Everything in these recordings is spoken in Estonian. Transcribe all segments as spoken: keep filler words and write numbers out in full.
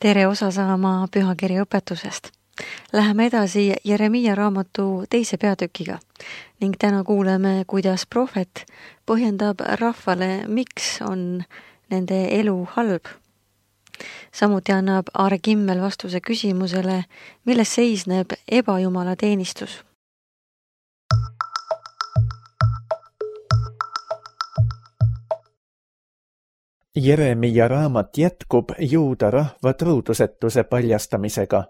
Tere osa saama pühakirja õpetusest. Läheme edasi Jeremiia raamatu teise peatükiga ning täna kuuleme, kuidas prohvet põhjendab rahvale, miks on nende elu halb. Samuti annab Aare Kimmel vastuse küsimusele, milles seisneb ebajumala teenistus. Jeremiia raamat jätkub juuda rahva truudusetuse paljastamisega.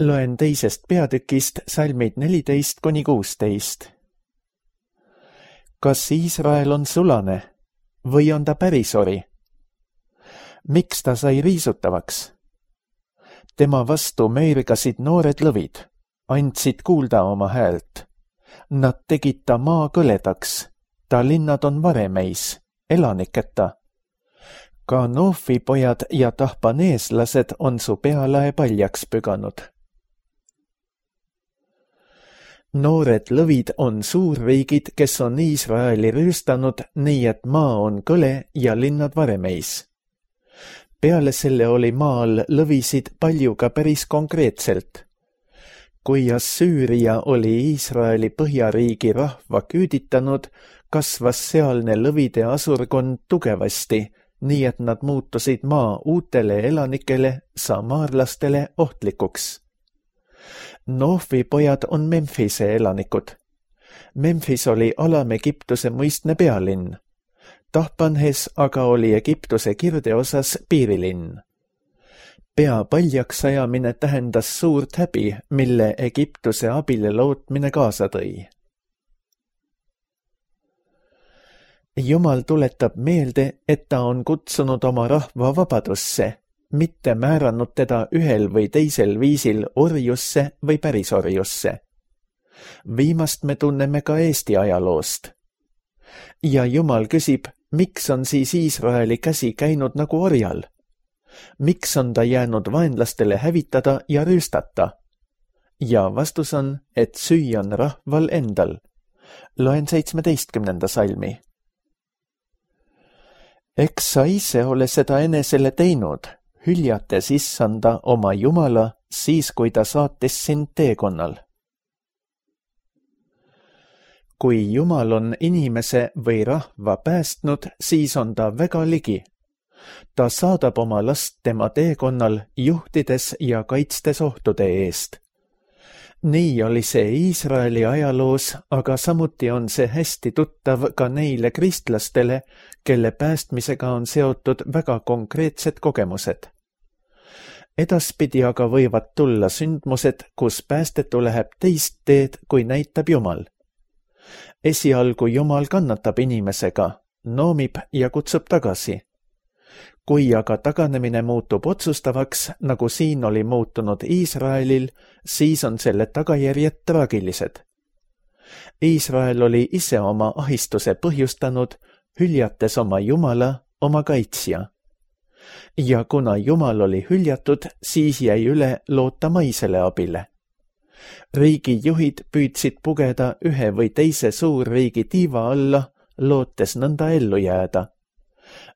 Loen teisest peatükist salmid neliteist kuni kuusteist. Kas Iisrael on sulane või on ta pärisori? Miks ta sai riisutavaks? Tema vastu meergasid noored lõvid, andsid kuulda oma häält. Nad tegid ta maa kõledaks, ta linnad on varemeis, elaniketa. Ka Noofi pojad ja tahpaneeslased on su pealae paljaks püganud. Noored lõvid on suurriigid, kes on Iisraeli rüüstanud, nii et maa on kõle ja linnad varemeis. Peale selle oli maal lõvisid palju ka päris konkreetselt. Kui Assüüria oli Iisraeli põhjariigi rahva küüditanud, kasvas sealne lõvide asurkond tugevasti, nii et nad muutusid maa uutele elanikele, samaarlastele ohtlikuks. Noofi pojad on Memphise elanikud. Memphis oli Alam-Egiptuse muistne pealinn. Tahpanhes aga oli Egiptuse kirdeosas piirilinn. Pea paljaks ajamine tähendas suurt häbi, mille Egiptuse abile lootmine kaasa tõi. Jumal tuletab meelde, et ta on kutsunud oma rahva vabadusse, mitte määranud teda ühel või teisel viisil orjusse või pärisorjusse. Viimast me tunneme ka Eesti ajaloost. Ja Jumal küsib, miks on siis Iisraeli käsi käinud nagu orjal? Miks on ta jäänud vaenlastele hävitada ja rüüstata? Ja vastus on, et süü on rahval endal. Loen seitsmeteistkümnenda salmi. Eks sa ise ole seda enesele teinud, hüljates issanda oma Jumala, siis kui ta saatis sind teekonnal. Kui Jumal on inimese või rahva päästnud, siis on ta väga ligi. Ta saadab oma last tema teekonnal, juhtides ja kaitstes ohtude eest. Nii oli see Iisraeli ajaloos, aga samuti on see hästi tuttav ka neile kristlastele, kelle päästmisega on seotud väga konkreetsed kogemused. Edaspidi aga võivad tulla sündmused, kus päästetu läheb teist teed, kui näitab Jumal. Esialgu Jumal kannatab inimesega, noomib ja kutsub tagasi. Kui aga taganemine muutub otsustavaks, nagu siin oli muutunud Iisraelil, siis on selle tagajärjed traagilised. Iisrael oli ise oma ahistuse põhjustanud, hüljates oma Jumala, oma kaitsja. Ja kuna Jumal oli hüljatud, siis jäi üle loota maisele abile. Riigi juhid püüdsid pugeda ühe või teise suurriigi tiiva alla, lootes nõnda ellu jääda.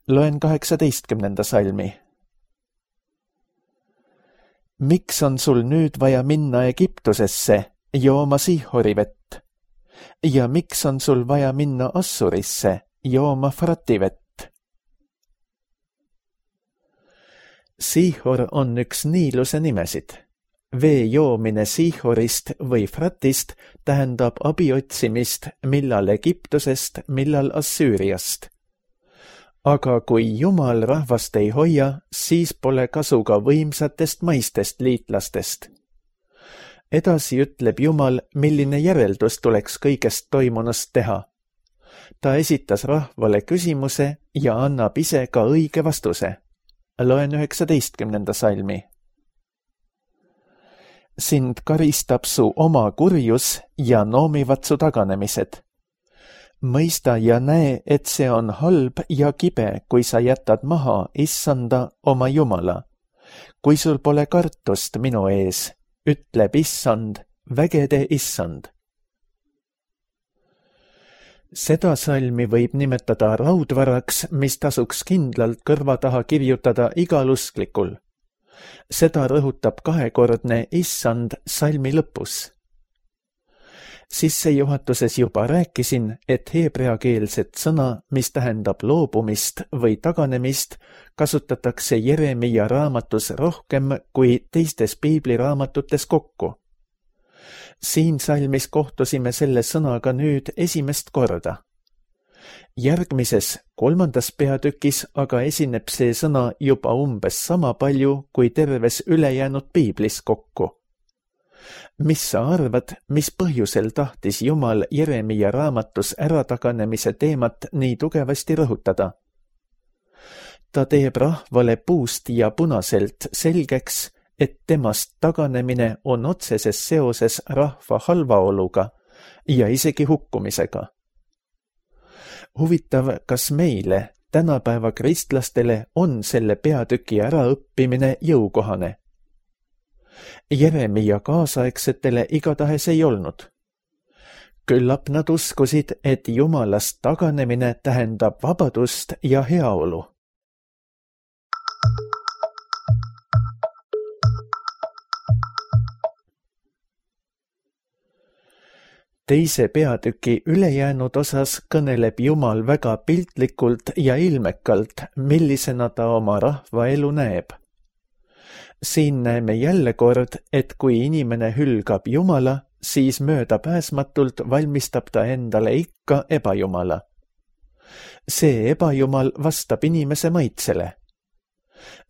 Loen kaheksateistkümnenda salmi. Miks on sul nüüd vaja minna Egiptusesse, jooma Sihori vett? Ja miks on sul vaja minna Assurisse, jooma Frati vett? Sihor on üks Niiluse nimesid. Vee joomine Sihorist või Fratist tähendab abi otsimist millal Egiptusest, millal Assüüriast. Aga kui Jumal rahvast ei hoia, siis pole kasu ka võimsatest maistest liitlastest. Edasi ütleb Jumal, milline järeldus tuleks kõigest toimunust teha. Ta esitas rahvale küsimuse ja annab ise ka õige vastuse. Loen üheksateistkümnenda salmi. Sind karistab su oma kurjus ja noomivad su taganemised. Mõista ja näe, et see on halb ja kibe, kui sa jätad maha issanda oma Jumala. Kui sul pole kartust minu ees, ütleb issand, vägede issand. Seda salmi võib nimetada raudvaraks, mis tasuks kindlalt kõrva taha kirjutada igal usklikul. Seda rõhutab kahekordne issand salmi lõpus. Sissejuhatuses juba rääkisin, et heebreakeelset sõna, mis tähendab loobumist või taganemist, kasutatakse Jeremia raamatus rohkem kui teistes piibliraamatutes kokku. Siin salmis kohtusime selle sõnaga nüüd esimest korda. Järgmises, kolmandas peatükis aga esineb see sõna juba umbes sama palju kui terves ülejäänud piiblis kokku. Mis sa arvad, mis põhjusel tahtis Jumal Jeremia raamatus ärataganemise teemat nii tugevasti rõhutada? Ta teeb rahvale puust ja punaselt selgeks, et temast taganemine on otseses seoses rahva halvaoluga ja isegi hukkumisega. Huvitav, kas meile, tänapäeva kristlastele, on selle peatüki äraõppimine jõukohane? Jeremia kaasaegsetele igatahes ei olnud. Küllap nad uskusid, et Jumalast taganemine tähendab vabadust ja heaolu. Teise peatüki ülejäänud osas kõneleb Jumal väga piltlikult ja ilmekalt, millisena ta oma rahva elu näeb. Siin näeme jälle kord, et kui inimene hülgab Jumala, siis möödapääsmatult valmistab ta endale ikka ebajumala. See ebajumal vastab inimese maitsele.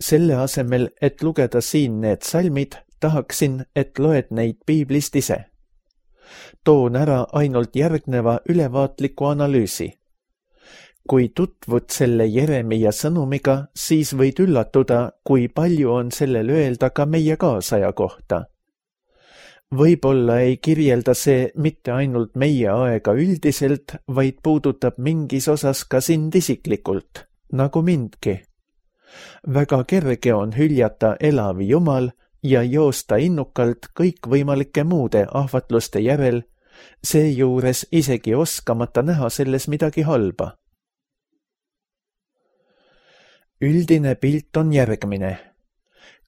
Selle asemel, et lugeda siin need salmid, tahaksin, et loed neid piiblist ise. Toon ära ainult järgneva ülevaatliku analüüsi. Kui tutvud selle Jeremia sõnumiga, siis võid üllatuda, kui palju on sellel öelda ka meie kaasaja kohta. Võib-olla ei kirjelda see mitte ainult meie aega üldiselt, vaid puudutab mingis osas ka sind isiklikult, nagu mindki. Väga kerge on hüljata elav Jumal ja joosta innukalt kõikvõimalike muude ahvatluste järel, seejuures isegi oskamata näha selles midagi halba. Üldine pilt on järgmine.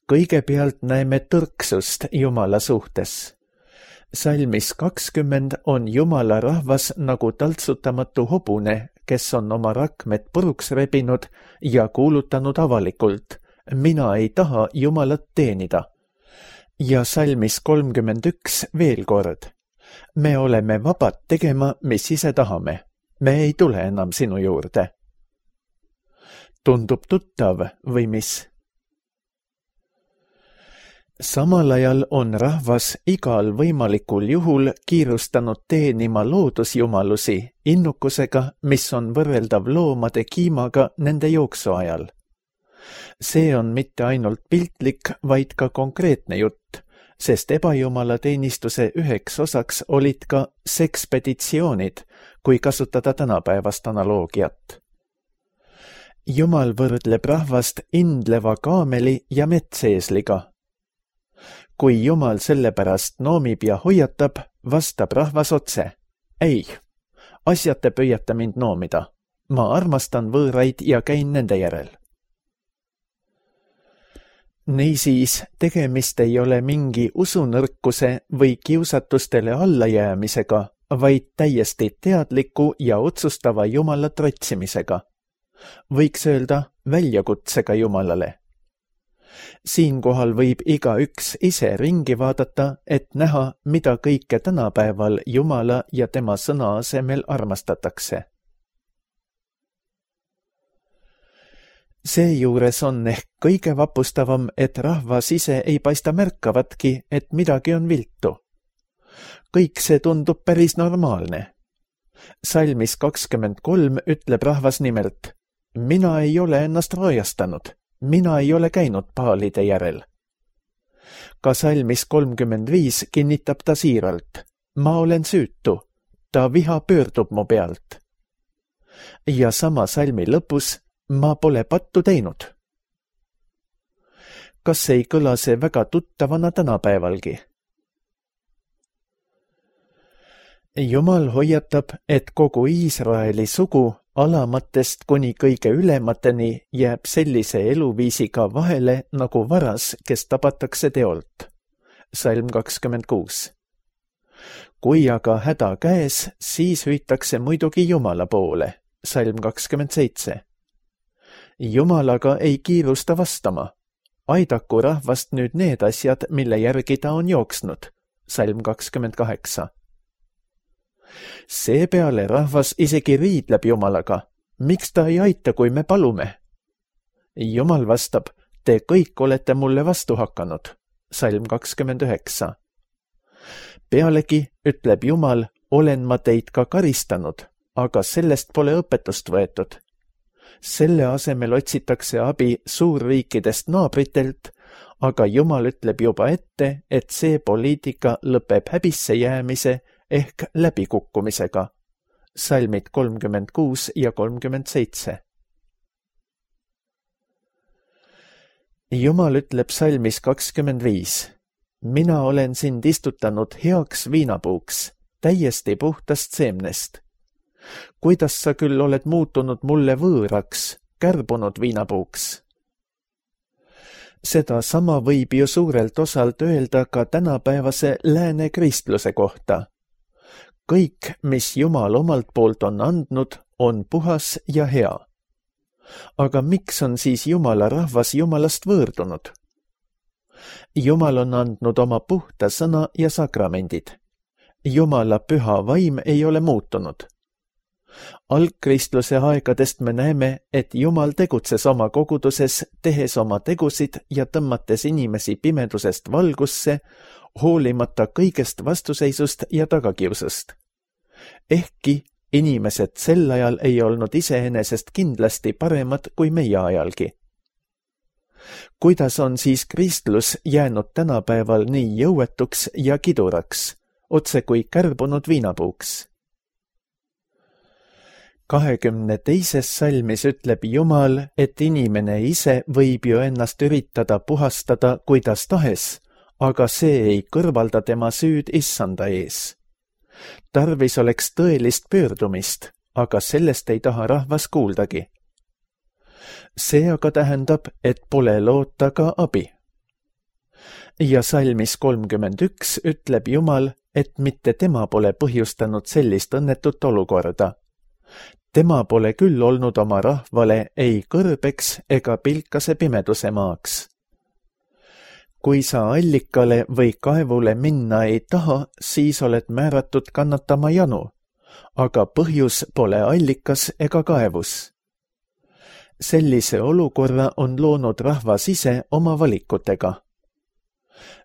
Kõigepealt näeme tõrksust Jumala suhtes. Salmis kakskümmend on Jumala rahvas nagu taltsutamatu hobune, kes on oma rakmed puruks rebinud ja kuulutanud avalikult: mina ei taha Jumalat teenida. Ja salmis kolmkümmend üks veel kord: me oleme vabad tegema, mis ise tahame. Me ei tule enam sinu juurde. Tundub tuttav või mis? Samal ajal on rahvas igal võimalikul juhul kiirustanud teenima loodusjumalusi innukusega, mis on võrreldav loomade kiimaga nende jooksu ajal. See on mitte ainult piltlik, vaid ka konkreetne jutt, sest ebajumala teenistuse üheks osaks olid ka sekspeditsioonid, kui kasutada tänapäevast analoogiat. Jumal võrdleb rahvast indleva kaameli ja metseesliga. Kui Jumal selle pärast noomib ja hoiatab, vastab rahvas otse: ei, asjata püüata mind noomida. Ma armastan võõraid ja käin nende järel. Niisiis, tegemist ei ole mingi usunõrkuse või kiusatustele allajäämisega, vaid täiesti teadliku ja otsustava Jumala trotsimisega. Võiks öelda väljakutsega Jumalale. Siinkohal võib igaüks ise ringi vaadata, et näha, mida kõike tänapäeval Jumala ja tema sõna asemel armastatakse. Seejuures on ehk kõige vapustavam, et rahvas ise ei paista märkavatki, et midagi on viltu. Kõik see tundub päris normaalne. Salmis kakskümmend kolm ütleb rahvas nimelt: mina ei ole ennast roojastanud, mina ei ole käinud paalide järel. Ka salmis kolmkümmend viis kinnitab ta siiralt: ma olen süütu, ta viha pöördub mu pealt. Ja sama salmi lõpus: ma pole pattu teinud. Kas ei kõla see väga tuttavana tänapäevalgi? Jumal hoiatab, et kogu Iisraeli sugu, alamatest kuni kõige ülemateni jääb sellise eluviisiga vahele nagu varas, kes tabatakse teolt. Salm kakskümmend kuus. Kui aga häda käes, siis hüütakse muidugi Jumala poole. Salm kakskümmend seitse. Jumalaga ei kiirusta vastama. Aidaku rahvast nüüd need asjad, mille järgi ta on jooksnud. Salm kakskümmend kaheksa. Seepeale rahvas isegi riidleb Jumalaga. Miks ta ei aita, kui me palume? Jumal vastab, te kõik olete mulle vastu hakanud. Salm kakskümmend üheksa. Pealegi, ütleb Jumal, olen ma teid ka karistanud, aga sellest pole õpetust võetud. Selle asemel otsitakse abi suurriikidest naabritelt, aga Jumal ütleb juba ette, et see poliitika lõpeb häbisse jäämise ehk läbikukkumisega. Salmid kolmkümmend kuus ja kolmkümmend seitse. Jumal ütleb salmis kakskümmend viis. Mina olen sind istutanud heaks viinapuuks, täiesti puhtast seemnest. Kuidas sa küll oled muutunud mulle võõraks, kärbunud viinapuuks? Seda sama võib ju suurelt osalt öelda ka tänapäevase lääne kristluse kohta. Kõik, mis Jumal omalt poolt on andnud, on puhas ja hea. Aga miks on siis Jumala rahvas Jumalast võõrdunud? Jumal on andnud oma puhta sõna ja sakramendid. Jumala püha vaim ei ole muutunud. Algkristluse aegadest me näeme, et Jumal tegutses oma koguduses, tehes oma tegusid ja tõmmates inimesi pimedusest valgusse, hoolimata kõigest vastuseisust ja tagakiusust. Ehkki inimesed sel ajal ei olnud iseenesest kindlasti paremad kui meie ajalgi. Kuidas on siis kristlus jäänud tänapäeval nii jõuetuks ja kiduraks, otse kui kärbunud viinapuuks? kahekümne teises salmis ütleb Jumal, et inimene ise võib ju ennast üritada puhastada kuidas tahes, aga see ei kõrvalda tema süüd issanda ees. Tarvis oleks tõelist pöördumist, aga sellest ei taha rahvas kuuldagi. See aga tähendab, et pole loota ka abi. Ja salmis kolmkümmend üks ütleb Jumal, et mitte tema pole põhjustanud sellist õnnetut olukorda. Tema pole küll olnud oma rahvale ei kõrbeks ega pilkase pimeduse maaks. Kui sa allikale või kaevule minna ei taha, siis oled määratud kannatama janu, aga põhjus pole allikas ega kaevus. Sellise olukorra on loonud rahvas ise oma valikutega.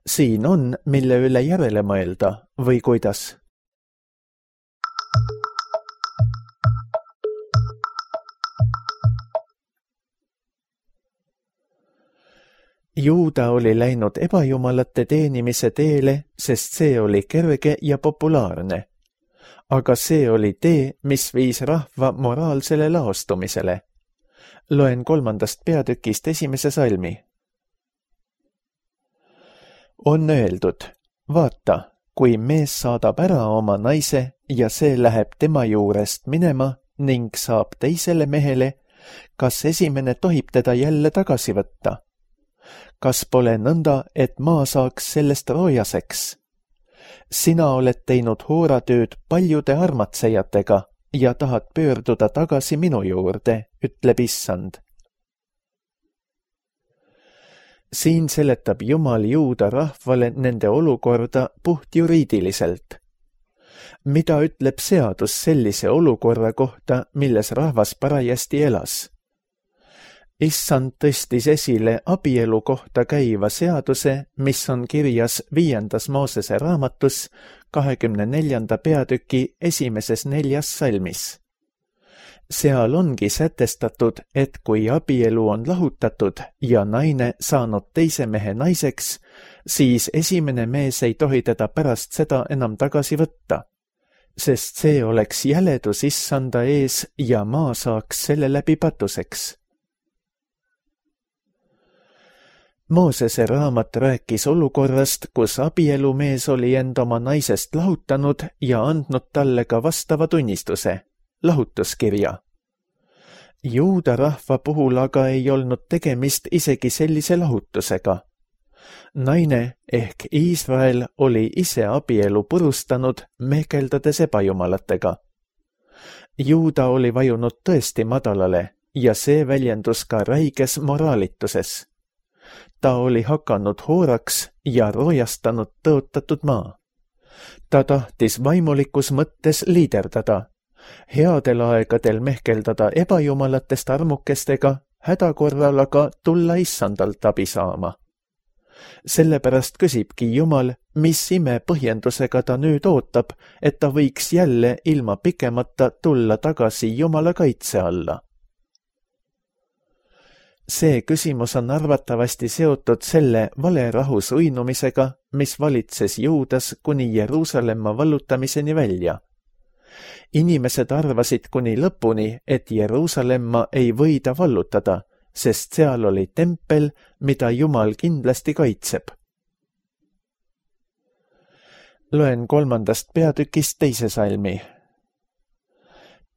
Siin on, mille üle järele mõelda või kuidas. Juuda oli läinud ebajumalate teenimise teele, sest see oli kerge ja populaarne. Aga see oli tee, mis viis rahva moraalsele laostumisele. Loen kolmandast peatükist esimese salmi. On öeldud, vaata, kui mees saadab ära oma naise ja see läheb tema juurest minema ning saab teisele mehele, kas esimene tohib teda jälle tagasi võtta? Kas pole nõnda, et maa saaks sellest roojaseks? Sina oled teinud hooratööd paljude armatsejatega ja tahad pöörduda tagasi minu juurde, ütleb issand. Siin seletab Jumal Juuda rahvale nende olukorda puht juriidiliselt. Mida ütleb seadus sellise olukorra kohta, milles rahvas parajasti elas? Issand tõstis esile abielu kohta käiva seaduse, mis on kirjas viiendas Moosese raamatus kahekümne neljanda peatüki esimeses neljas salmis. Seal ongi sätestatud, et kui abielu on lahutatud ja naine saanud teise mehe naiseks, siis esimene mees ei tohi teda pärast seda enam tagasi võtta, sest see oleks jäledus issanda ees ja maa saaks selle läbi patuseks. Moosese raamat rääkis olukorrast, kus abielumees oli end oma naisest lahutanud ja andnud talle ka vastava tunnistuse, lahutuskirja. Juuda rahva puhul aga ei olnud tegemist isegi sellise lahutusega. Naine ehk Iisrael oli ise abielu purustanud, mehkeldades ebajumalatega. Juuda oli vajunud tõesti madalale ja see väljendus ka räiges moraalituses. Ta oli hakanud hooraks ja roojastanud tõotatud maa. Ta tahtis vaimulikus mõttes liiderdada, headel aegadel mehkeldada ebajumalatest armukestega, hädakorral aga tulla issandalt abi saama. Sellepärast küsibki Jumal, mis ime põhjendusega ta nüüd ootab, et ta võiks jälle ilma pikemata tulla tagasi Jumala kaitse alla. See küsimus on arvatavasti seotud selle valerahus uinumisega, mis valitses Juudas kuni Jeruusalemma vallutamiseni välja. Inimesed arvasid kuni lõpuni, et Jeruusalemma ei võida vallutada, sest seal oli tempel, mida Jumal kindlasti kaitseb. Loen kolmandast peatükist teise salmi.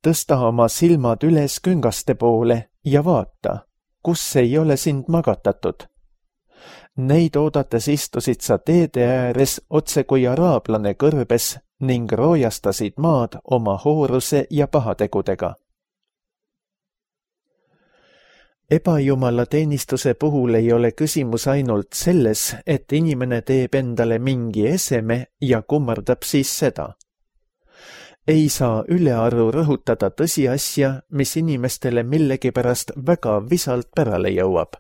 Tõsta oma silmad üles küngaste poole ja vaata, kus ei ole sind magatatud. Neid oodates istusid sa teede ääres otse kui araablane kõrbes ning roojastasid maad oma hooruse ja pahategudega. Ebajumala teenistuse puhul ei ole küsimus ainult selles, et inimene teeb endale mingi eseme ja kummardab siis seda. Ei saa ülearu rõhutada tõsiasja, mis inimestele millegipärast väga visalt pärale jõuab.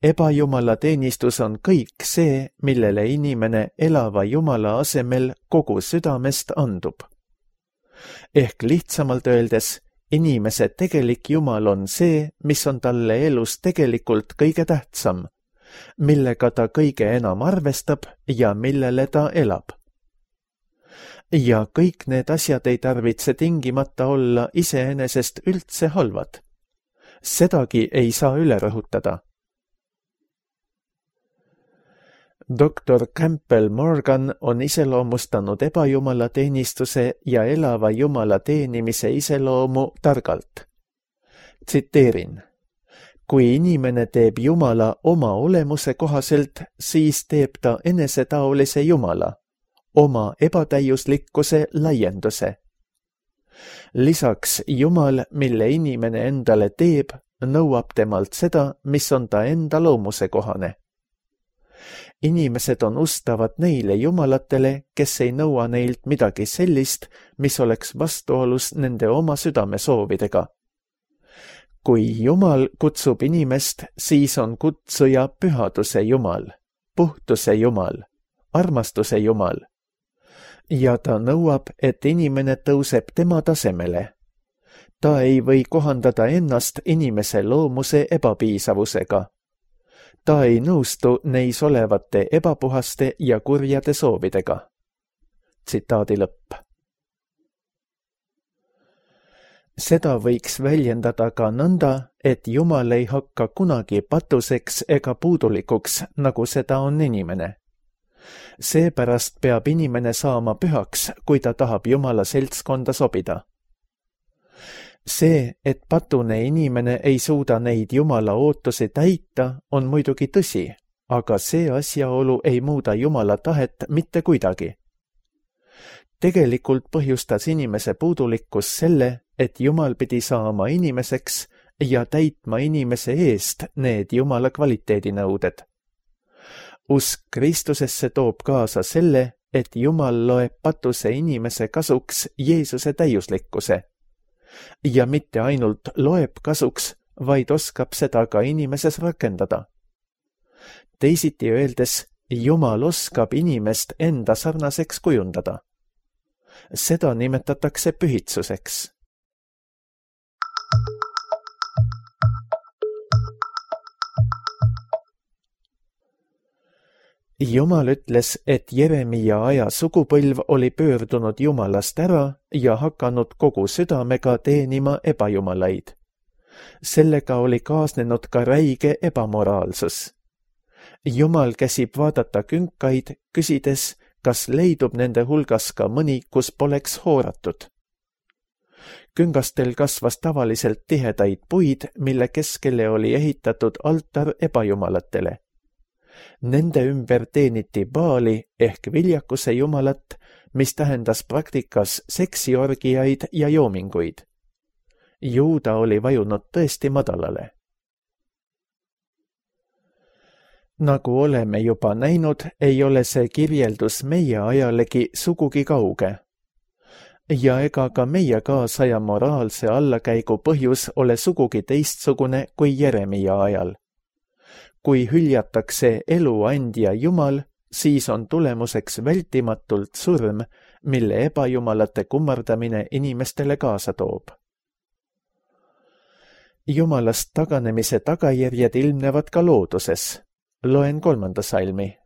Ebajumala teenistus on kõik see, millele inimene elava Jumala asemel kogu südamest andub. Ehk lihtsamalt öeldes, inimese tegelik Jumal on see, mis on talle elus tegelikult kõige tähtsam, millega ta kõige enam arvestab ja millele ta elab. Ja kõik need asjad ei tarvitse tingimata olla iseenesest üldse halvad. Sedagi ei saa üle rõhutada. doktor Campbell Morgan on iseloomustanud ebajumala teenistuse ja elava Jumala teenimise iseloomu targalt. Tsiteerin. Kui inimene teeb Jumala oma olemuse kohaselt, siis teeb ta enesetaolise Jumala, oma ebatäiuslikkuse laienduse. Lisaks Jumal, mille inimene endale teeb, nõuab temalt seda, mis on ta enda loomuse kohane. Inimesed on ustavad neile jumalatele, kes ei nõua neilt midagi sellist, mis oleks vastuolus nende oma südamesoovidega. Kui Jumal kutsub inimest, siis on kutsuja pühaduse Jumal, puhtuse Jumal, armastuse Jumal. Ja ta nõuab, et inimene tõuseb tema tasemele. Ta ei või kohandada ennast inimese loomuse ebapiisavusega. Ta ei nõustu neis olevate ebapuhaste ja kurjade soovidega. Tsitaadi lõpp. Seda võiks väljendada ka nõnda, et Jumal ei hakka kunagi patuseks ega puudulikuks, nagu seda on inimene. Seepärast peab inimene saama pühaks, kui ta tahab Jumala seltskonda sobida. See, et patune inimene ei suuda neid Jumala ootusi täita, on muidugi tõsi, aga see asjaolu ei muuda Jumala tahet mitte kuidagi. Tegelikult põhjustas inimese puudulikkus selle, et Jumal pidi saama inimeseks ja täitma inimese eest need Jumala kvaliteedinõuded. Usk Kristusesse toob kaasa selle, et Jumal loeb patuse inimese kasuks Jeesuse täiuslikkuse. Ja mitte ainult loeb kasuks, vaid oskab seda ka inimeses rakendada. Teisiti öeldes, Jumal oskab inimest enda sarnaseks kujundada. Seda nimetatakse pühitsuseks. Jumal ütles, et Jeremia aja sugupõlv oli pöördunud Jumalast ära ja hakanud kogu südamega teenima ebajumalaid. Sellega oli kaasnenud ka räige ebamoraalsus. Jumal käsib vaadata künkaid, küsides, kas leidub nende hulgas ka mõni, kus poleks hooratud. Küngastel kasvas tavaliselt tihedaid puid, mille keskele oli ehitatud altar ebajumalatele. Nende ümber teeniti Baali ehk viljakuse jumalat, mis tähendas praktikas seksiorgiaid ja joominguid. Juuda oli vajunud tõesti madalale. Nagu oleme juba näinud, ei ole see kirjeldus meie ajalegi sugugi kauge. Ja ega ka meie kaasaja moraalse allakäigu põhjus ole sugugi teistsugune kui Jeremia ajal. Kui hüljatakse eluandja Jumal, siis on tulemuseks vältimatult surm, mille ebajumalate kummardamine inimestele kaasa toob. Jumalast taganemise tagajärjed ilmnevad ka looduses. Loen kolmanda salmi.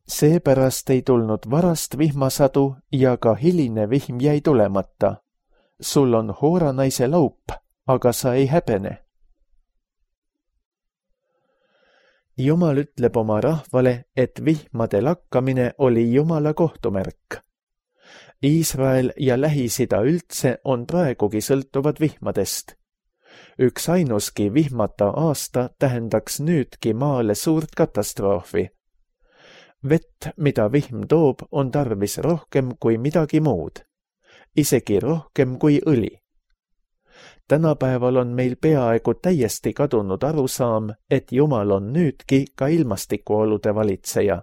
Seepärast ei tulnud varast vihmasadu ja ka hiline vihm jäi tulemata. Sul on hooranaise laup, aga sa ei häbene. Jumal ütleb oma rahvale, et vihmade lakkamine oli Jumala kohtumärk. Iisrael ja Lähis-Ida üldse on praegugi sõltuvad vihmadest. Üks ainuski vihmata aasta tähendaks nüüdki maale suurt katastroofi. Vett, mida vihm toob, on tarvis rohkem kui midagi muud. Isegi rohkem kui õli. Tänapäeval on meil peaaegu täiesti kadunud arusaam, et Jumal on nüüdki ka ilmastikuolude valitseja.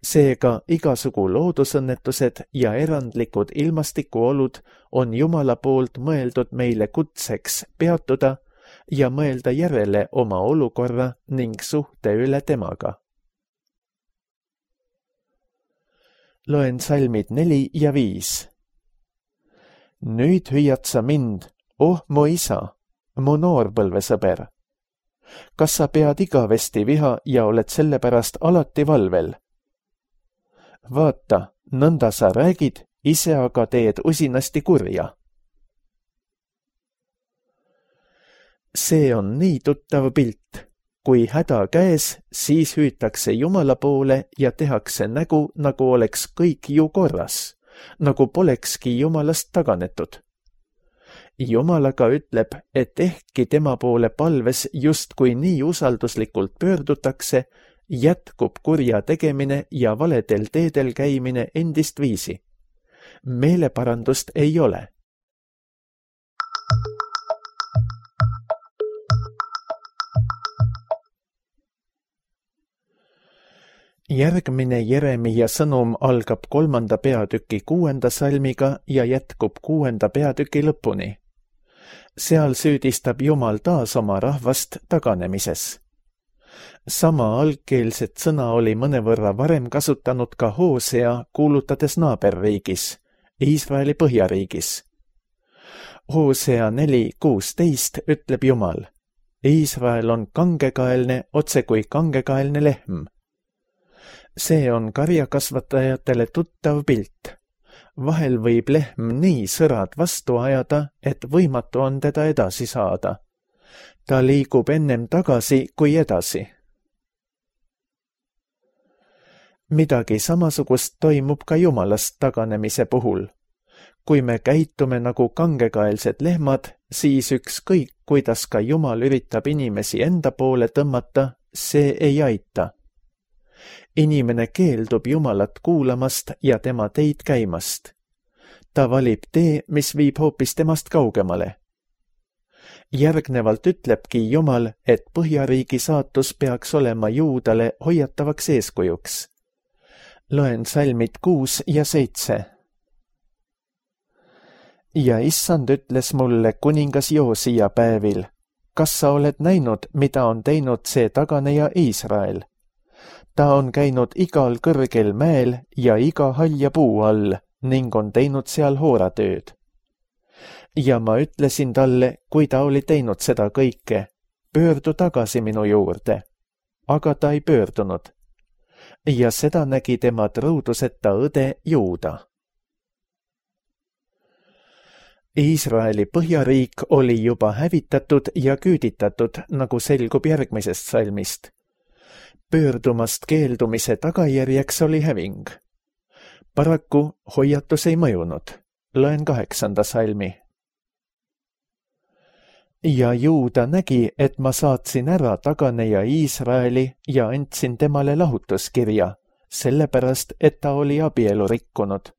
Seega igasugu loodusõnnetused ja erandlikud ilmastikuolud on Jumala poolt mõeldud meile kutseks peatuda ja mõelda järele oma olukorra ning suhte üle temaga. Loen salmid neli ja viis. Nüüd hüüad sa mind, oh mu isa, mu noorpõlvesõber. Kas sa pead igavesti viha ja oled sellepärast alati valvel? Vaata, nõnda sa räägid, ise aga teed usinasti kurja. See on nii tuttav pilt. Kui häda käes, siis hüütakse Jumala poole ja tehakse nägu, nagu oleks kõik ju korras, nagu polekski Jumalast taganetud. Jumal aga ütleb, et ehkki tema poole palves justkui nii usalduslikult pöördutakse, jätkub kurja tegemine ja valedel teedel käimine endist viisi. Meeleparandust ei ole. Järgmine Jeremia sõnum algab kolmanda peatüki kuuenda salmiga ja jätkub kuuenda peatüki lõpuni. Seal süüdistab Jumal taas oma rahvast taganemises. Sama algkeelset sõna oli mõnevõrra varem kasutanud ka Hoosea, kuulutades naaberriigis, Iisraeli põhjariigis. Hoosea neli kuusteist ütleb Jumal, Iisrael on kangekaelne, otse kui kangekaelne lehm. See on karjakasvatajatele tuttav pilt. Vahel võib lehm nii sõrad vastu ajada, et võimatu on teda edasi saada. Ta liigub ennem tagasi kui edasi. Midagi samasugust toimub ka Jumalast taganemise puhul. Kui me käitume nagu kangekaelsed lehmad, siis ükskõik, kuidas ka Jumal üritab inimesi enda poole tõmmata, see ei aita. Inimene keeldub Jumalat kuulamast ja tema teid käimast. Ta valib tee, mis viib hoopis temast kaugemale. Järgnevalt ütlebki Jumal, et põhjariigi saatus peaks olema Juudale hoiatavaks eeskujuks. Loen salmid kuus ja seitse. Ja issand ütles mulle kuningas Joosia päevil, kas sa oled näinud, mida on teinud see taganeja Iisrael? Ta on käinud igal kõrgel mäel ja iga halja puu all ning on teinud seal hooratööd. Ja ma ütlesin talle, kui ta oli teinud seda kõike, pöördu tagasi minu juurde. Aga ta ei pöördunud. Ja seda nägi tema trõuduseta õde Juuda. Iisraeli põhjariik oli juba hävitatud ja küüditatud, nagu selgub järgmisest salmist. Pöördumast keeldumise tagajärjeks oli häving. Paraku hoiatus ei mõjunud. Loen kaheksanda salmi. Ja Juuda nägi, et ma saatsin ära taganeja Iisraeli ja andsin temale lahutuskirja, sellepärast, et ta oli abielu rikkunud.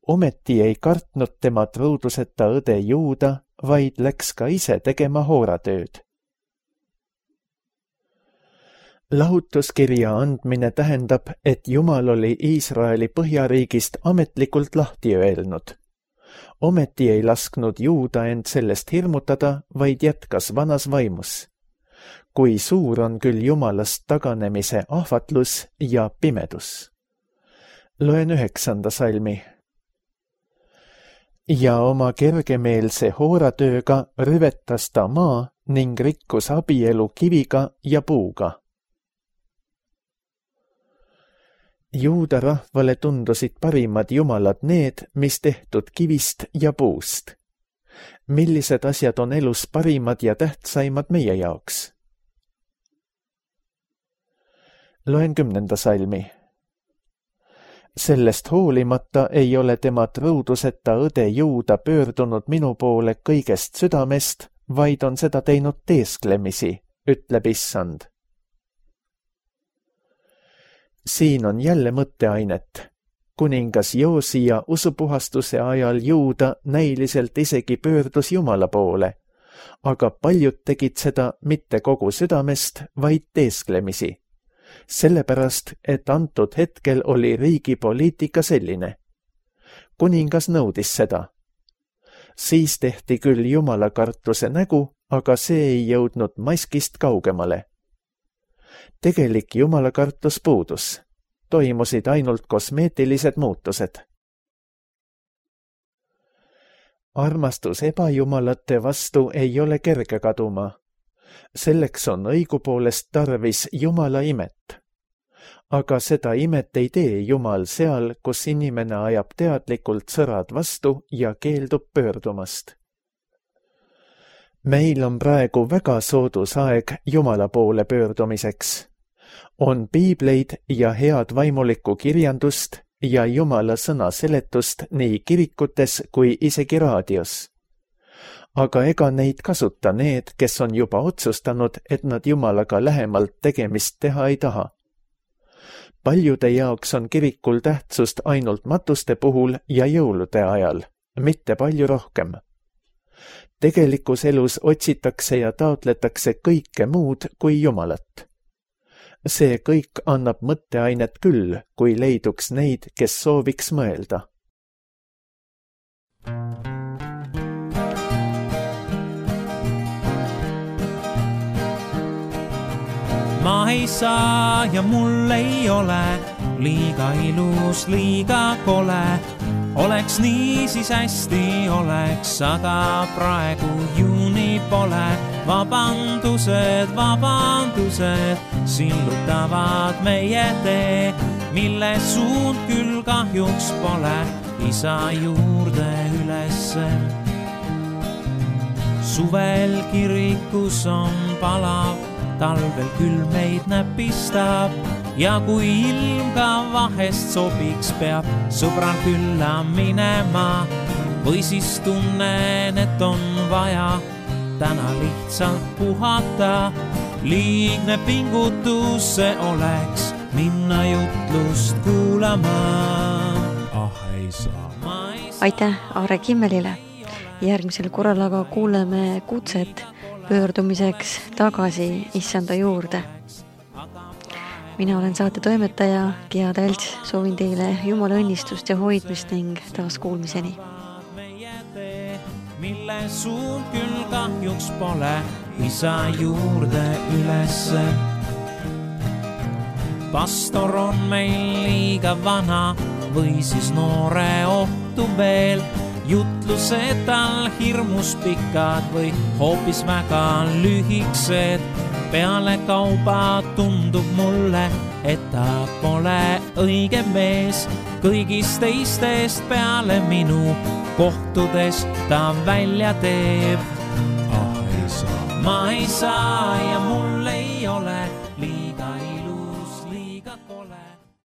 Ometi ei kartnud tema truuduseta õde Juuda, vaid läks ka ise tegema hooratööd. Lahutuskirja andmine tähendab, et Jumal oli Iisraeli põhjariigist ametlikult lahti öelnud. Ometi ei lasknud Juuda end sellest hirmutada, vaid jätkas vanas vaimus. Kui suur on küll Jumalast taganemise ahvatlus ja pimedus. Loen üheksanda salmi. Ja oma kergemeelse hooratööga rüvetas ta maa ning rikkus abielu kiviga ja puuga. Juuda rahvale tundusid parimad jumalad need, mis tehtud kivist ja puust. Millised asjad on elus parimad ja tähtsaimad meie jaoks? Loen kümnenda salmi. Sellest hoolimata ei ole tema truuduseta õde Juuda pöördunud minu poole kõigest südamest, vaid on seda teinud teesklemisi, ütleb Issand. Siin on jälle mõtteainet. Kuningas Joosia usupuhastuse ajal Juuda näiliselt isegi pöördus Jumala poole, aga paljud tegid seda mitte kogu südamest, vaid teesklemisi. Sellepärast, et antud hetkel oli riigi poliitika selline. Kuningas nõudis seda. Siis tehti küll Jumala kartuse nägu, aga see ei jõudnud maskist kaugemale. Tegelik Jumala kartus puudus. Toimusid ainult kosmeetilised muutused. Armastus ebajumalate vastu ei ole kerge kaduma. Selleks on õigupoolest tarvis Jumala imet. Aga seda imet ei tee Jumal seal, kus inimene ajab teadlikult sõrad vastu ja keeldub pöördumast. Meil on praegu väga soodus aeg Jumala poole pöördumiseks. On piibleid ja head vaimulikku kirjandust ja Jumala sõna seletust nii kirikutes kui isegi raadios. Aga ega neid kasuta need, kes on juba otsustanud, et nad Jumalaga lähemalt tegemist teha ei taha. Paljude jaoks on kirikul tähtsust ainult matuste puhul ja jõulude ajal, mitte palju rohkem. Tegelikus elus otsitakse ja taotletakse kõike muud kui Jumalat. See kõik annab mõtteainet küll, kui leiduks neid, kes sooviks mõelda. Ma ei saa ja mul ei ole liiga ilus, liiga kole. Oleks nii, siis hästi oleks, aga praegu juuni pole. Vabandused, vabandused sillutavad meie tee, mille suund küll kahjuks pole isa juurde ülesse. Suvel kirikus on palav, talvel küll meid näpistab ja kui ilm ka vahest sobiks, peab sõbral külla minema või siis tunnen, et on vaja täna lihtsalt puhata. Liigne pingutus see oleks minna jutlust kuulama. Ah, ei saa. Aitäh Aare Kimmelile. Järgmisel korral aga kuuleme kutset pöördumiseks tagasi Issanda juurde. Mina olen saate toimetaja Gea Talts, soovin teile Jumala õnnistust ja hoidmist ning taas kuulmiseni. Mille suund küll kahjuks pole isa juurde ülesse. Pastor on meil liiga vana või siis noore ohtu veel. Jutlused tal hirmus pikad või hoopis väga lühiksed. Peale kauba tundub mulle, et ta pole õige mees. Kõigist teistest peale minu kohtudes ta välja teeb. Ah, ei saa. Ma ei saa ja mul